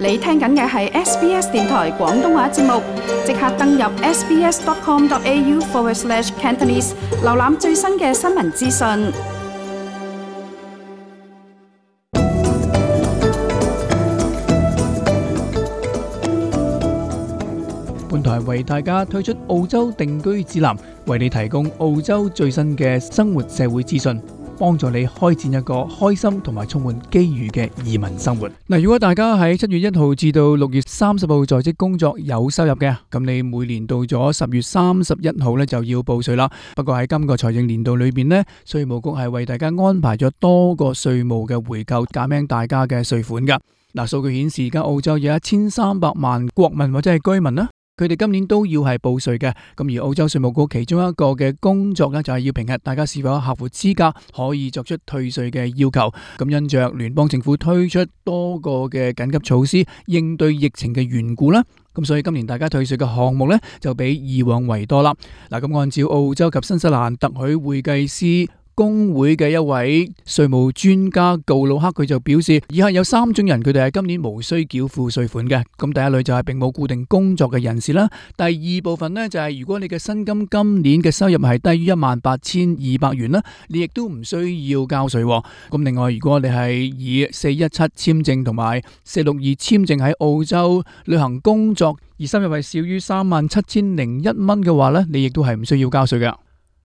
你聽緊嘅係 SBS 電台廣東話節目，即刻登入 sbs.com.au/Cantonese， 瀏覽最新嘅新聞資訊。本台為大家推出澳洲定居指南，為你提供澳洲最新嘅生活社會資訊，幫助你開展一個開心同埋充滿機遇嘅移民生活。嗱，如果大家喺7月1號至到6月30號在職工作有收入嘅，咁你每年到咗10月31號咧就要報稅啦。不過喺今個財政年度裏邊呢，稅務局係為大家安排咗多個稅務嘅回扣，減輕大家嘅稅款噶。嗱，數據顯示而家澳洲有1300萬國民或者係居民啦。佢哋今年都要係報稅嘅，咁而澳洲稅務局其中一個嘅工作呢，就係要評核大家是否合乎資格，可以作出退稅嘅要求。咁因着聯邦政府推出多個嘅緊急措施應對疫情嘅緣故啦，咁所以今年大家退稅嘅項目呢，就比以往為多啦。嗱，咁按照澳洲及新西蘭特許會計師工會嘅一位稅務專家告魯克，佢就表示，以下有3種人，佢哋係今年無需繳付稅款嘅。咁第一類就係並冇固定工作嘅人士啦。第二部分呢，就係如果你嘅薪金今年嘅收入係低於18,200元啦，你亦都唔需要交稅。咁另外，如果你係以417簽證同埋462簽證喺澳洲旅行工作，而收入係少於37,001蚊嘅話呢，你亦都係唔需要交稅嘅。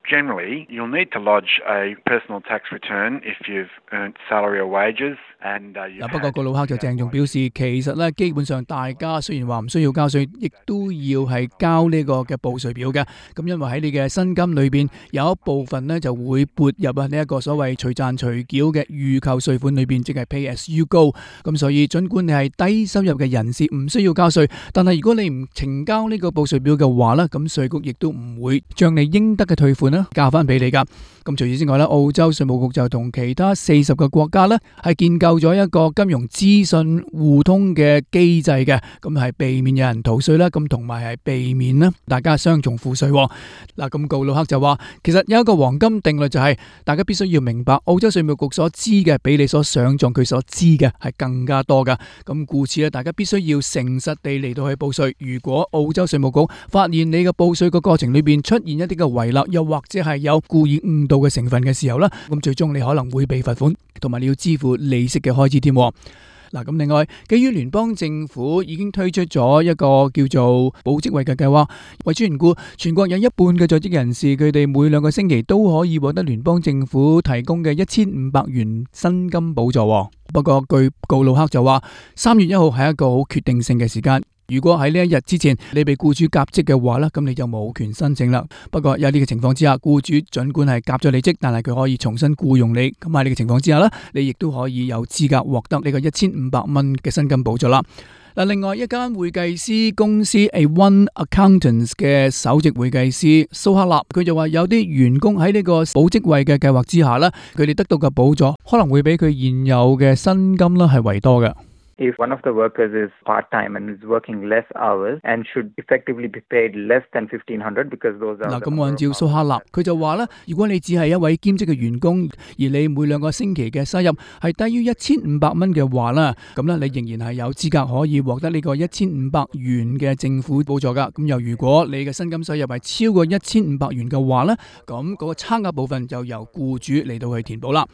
Generally, you'll need to lodge a personal tax return if you've earned salary or wages. 不過告魯克就鄭重表示，其實咧基本上大家雖然話唔需要交稅，亦都要係交呢個嘅報稅表嘅。咁因為喺你嘅薪金裏邊有一部分呢就會撥入呢一個所謂隨賺隨繳嘅預扣稅款裏邊，即係 Pay as you go。咁所以盡管你係低收入嘅人士唔需要交稅，但係如果你唔呈交呢個報稅表嘅話呢，咁稅局亦都唔會將你應得嘅退款呢交翻俾你噶。咁除此之外呢，澳洲稅務局就同其他40個國家呢係建構咗一個金融資訊互通嘅機制嘅，咁係避免有人逃稅啦，咁同埋係避免啦大家雙重課稅。嗱，咁告魯克就話，其實有一個黃金定律就係，大家必須要明白澳洲稅務局所知嘅比你所想象佢所知嘅係更加多噶。咁故此咧，大家必須要誠實地嚟到去報稅。如果澳洲稅務局發現你嘅報稅個過程裏邊出現一啲嘅遺漏，又或者係有故意誤導嘅成分嘅時候啦，咁最終你可能會被罰款，同埋你要支付利息嘅開支添。嗱，咁另外，基於聯邦政府已經推出咗一個叫做保職位嘅計劃，為此緣故，全國有一半嘅在職人士，佢哋每2個星期都可以獲得聯邦政府提供嘅1500元薪金補助。不過，據告魯克就話，3月1號係一個好決定性嘅時間。如果喺呢一日之前你被僱主革職嘅話呢，咁你就冇權申請啦。不過有呢個情況之下，僱主盡管係革咗你職，但係佢可以重新僱用你。咁喺呢個情況之下呢，你亦都可以有資格獲得呢個1500蚊嘅薪金補助啦。嗱，另外一間會計師公司 A1 Accountants 嘅首席會計師蘇克納，佢就話有啲員工喺呢個保職位嘅計劃之下呢，佢哋得到嘅補助可能會比佢現有嘅薪金啦係為多嘅。If one of the workers is part-time and is working less hours and should effectively be paid less than $1,500 because those are 咁按照蘇克納，佢就話咧，如果你只係一位兼職嘅員工，而你每2個星期嘅收入係低於1500蚊嘅話啦，咁咧你仍然係有資格可以獲得呢個1500元嘅政府補助噶。咁又如果你嘅薪金收入係超過1500元嘅話咧，咁嗰個差額部分就由僱主嚟到去填補啦。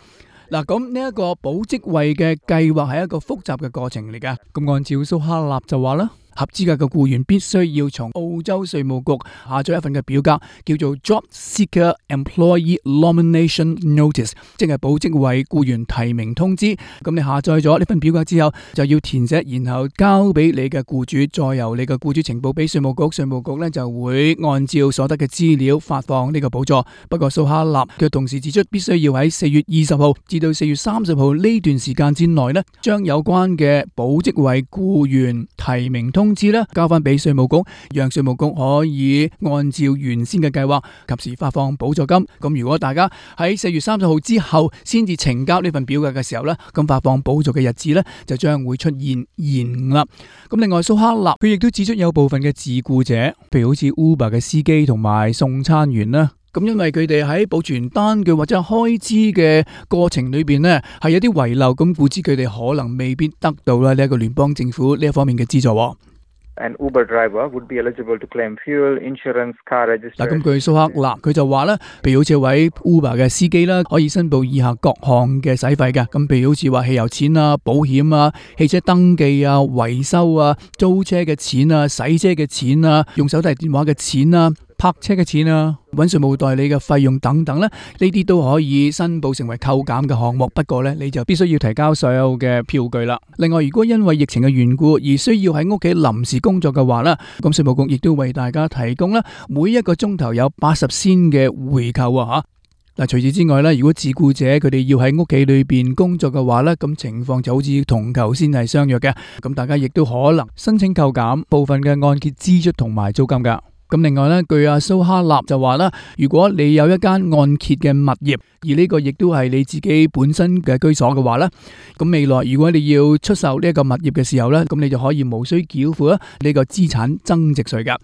嗱，咁呢一個保職位嘅計劃係一個複雜嘅過程嚟㗎。咁按照蘇克納就話啦，合資格嘅僱員必須要從澳洲稅務局下載一份嘅表格，叫做 Job Seeker Employee Nomination Notice， 即係保職位僱員提名通知。咁你下載咗呢份表格之後，就要填寫，然後交俾你嘅僱主，再由你嘅僱主呈報俾稅務局，稅務局呢就會按照所得嘅資料發放呢個補助。不過蘇克納佢同時指出，必須要喺4月20號至到4月30號呢段時間之內呢，將有關嘅保職位僱員提名通知咧交翻俾稅務局，讓稅務局可以按照原先嘅計劃及時發放補助金。咁如果大家喺4月30號之後先至呈交呢份表格嘅時候咧，咁發放補助嘅日子咧就將會出現延誤啦。咁另外蘇克納佢亦都指出有部分嘅自僱者，譬如好似 Uber 嘅司機同埋送餐員啦，咁因為佢哋喺保存單據或者開支嘅過程裏邊呢，係有啲遺漏，咁故此佢哋可能未必得到啦呢一個聯邦政府呢一方面嘅資助。An Uber driver would be eligible to claim fuel, insurance, car registration. 嗱，咁據蘇克納佢就話咧，譬如好似位 Uber 嘅司機啦，可以申報以下各項嘅使費嘅。咁譬如好似話汽油錢啊、保險啊、汽車登記啊、維修啊、租車嘅錢啊、洗車嘅錢啊、用手提電話嘅錢啊、泊車嘅錢啊、揾稅務代理嘅費用等等咧，呢啲都可以申報成為扣減嘅項目。不過咧，你就必須要提交所有嘅票據啦。另外，如果因為疫情嘅緣故而需要喺屋企臨時工作嘅話咧，咁稅務局亦都為大家提供咧每一個鐘頭有80仙嘅回扣啊嚇。嗱，除此之外咧，如果自僱者佢哋要喺屋企裏邊工作嘅話咧，咁情況就好似同頭先係相約嘅。咁大家亦都可能申請扣減部分嘅按揭支出同埋租金㗎。咁另外咧，據阿蘇哈納就話啦，如果你有一間按揭嘅物業，而呢個亦都係你自己本身嘅居所嘅話咧，咁未來如果你要出售呢一個物業嘅時候咧，咁你就可以無需繳付呢個資產增值稅㗎。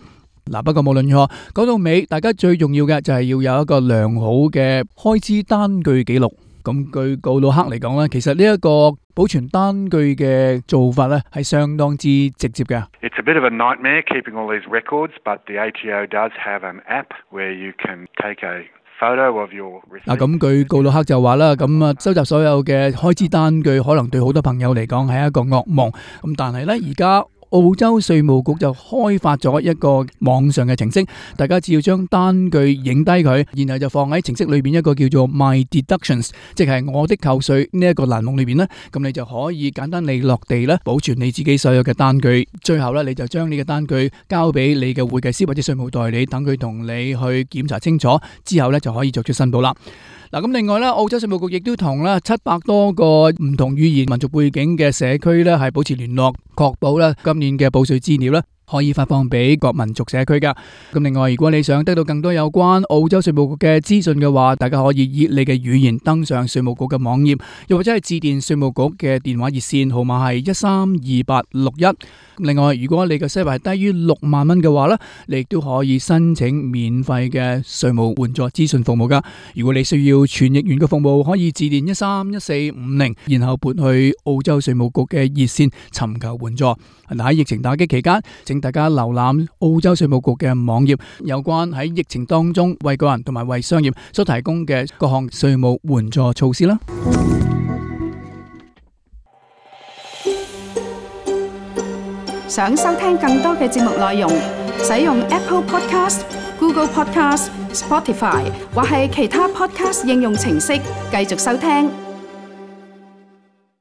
嗱，不過無論如何，講到尾，大家最重要嘅就係要有一個良好嘅開支單據記錄。咁據告魯克嚟講咧，其實呢一個保存單據嘅做法咧係相當之直接嘅。It's a bit of a nightmare keeping all these records, but the ATO does have an app where you can take a photo of your receipt. 嗱，咁據告魯克就話啦，咁收集所有嘅開支單據，可能對好多朋友嚟講係一個噩夢。咁但係咧，而家澳洲稅務局就開發咗一個網上嘅程式，大家只要將單據影低佢，然後就放喺程式裏邊一個叫做 My Deductions， 即係我的扣稅呢一個欄目裏邊咧，咁你就可以簡單利落地咧保存你自己所有嘅單據。最後咧，你就將呢個單據交俾你嘅會計師或者稅務代理，等佢同你去檢查清楚之後咧，就可以作出申報啦。嗱，咁另外咧，澳洲稅務局亦都同咧700多個唔同語言、民族背景嘅社區咧係保持聯絡，確保咧今年嘅報稅資料咧可以發放俾各民族社區噶。咁另外，如果你想得到更多有關澳洲稅務局嘅資訊嘅話，大家可以以你嘅語言登上稅務局嘅網頁，又或者係致電稅務局嘅電話熱線號碼係132861。另外，如果你嘅收入係低於6萬蚊嘅話咧，你亦都可以申請免費嘅稅務援助諮詢服務噶。如果你需要傳譯員嘅服務，可以致電131450，然後撥去澳洲稅務局嘅熱線尋求援助。喺疫情打擊期間，請大家瀏覽澳洲稅務局嘅網頁，有關喺疫情當中為個人同埋為商業所提供嘅各項稅務援助措施啦。想收聽更多嘅節目內容，使用 Apple Podcast、Google Podcast、Spotify 或係其他 Podcast 應用程式繼續收聽。